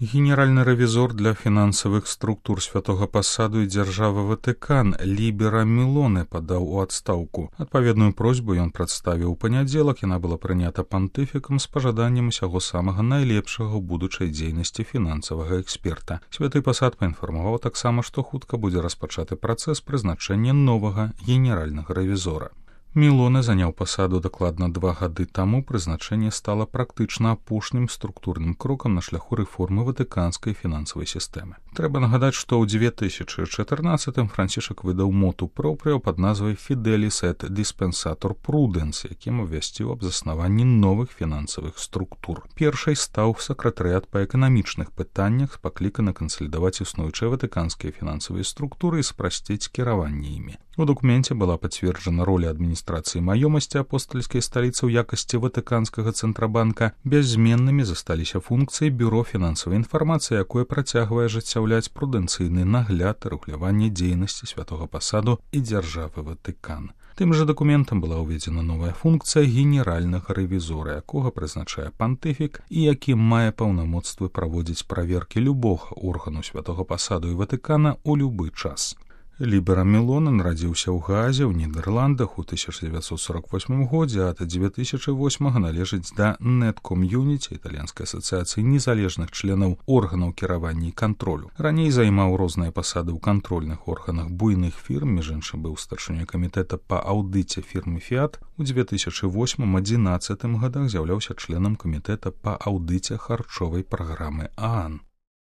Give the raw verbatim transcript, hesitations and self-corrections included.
Генеральны рэвізор для фінансавых структур святога пасаду і дзяржавы Ватыкан Лібера Мелоне падаў у адстаўку. Адпаведную просьбу ён прадставіў у панядзелак, яна была прынята пантыфікам з пажаданнем усяго самага найлепшага ў будучай дзейнасці фінансавага эксперта. Святы пасад паінфармаваў таксама, што хутка будзе распачаты працэс прызначэння новага генеральнага рэвізора. Мелоне заняў пасаду дакладна два гады таму, прызначэнне стала практычна апошнім структурным крокам на шляху рэформы ватыканскай фінансавай сістэмы. Трэба нагадаць, што ў дзве тысячы чатырнаццатым Францішак выдаў моту пропрыо пад назвай «Fidelis et Dispensator Prudens», якім абвясціў аб заснаванні новых фінансавых структур. Першай стаў сакратарыят па эканамічных пытаннях, пакліканы кансалідаваць існуючыя ватыканскія фінансавыя структуры і спрасціць кіраванне імі. У дакуменце была пацверджана роля адміністрацыі маёмасці апостальскай сталіцы ў якасці ватыканскага цэнтрабанка. Бяззменнымі засталіся функцыі бюро фінансавай інфармацыі, якое працягвае ажыццяўляць прудэнцыйны нагляд і рэгуляванне дзейнасці святога пасаду і дзяржавы Ватыкан. Тым жа дакументам была ўведзена новая функцыя генеральнага рэвізора, якога прызначае пантыфік і які мае паўнамоцтвы праводзіць праверкі любога органу святога пасаду і Ватыкана ў любы час. Лібера Мелоне нарадзіўся ў Гаазе ў Нідерландах у тысяча дзевяцьсот сорок восьмым годзе, а да дзве тысячы восьмага належыць да Net-Community, італьянскай асацыяцыі незалежных членаў органаў кіравання і кантролю. Раней займаў розныя пасады ў кантрольных органах буйных фірм, між іншым быў старшынёй камітэта па аўдыце фірмы Fiat. У дзве тысячы восьмым-адзінаццатым годах з'яўляўся членам камітэта па аўдыце харчовай праграмы ААН.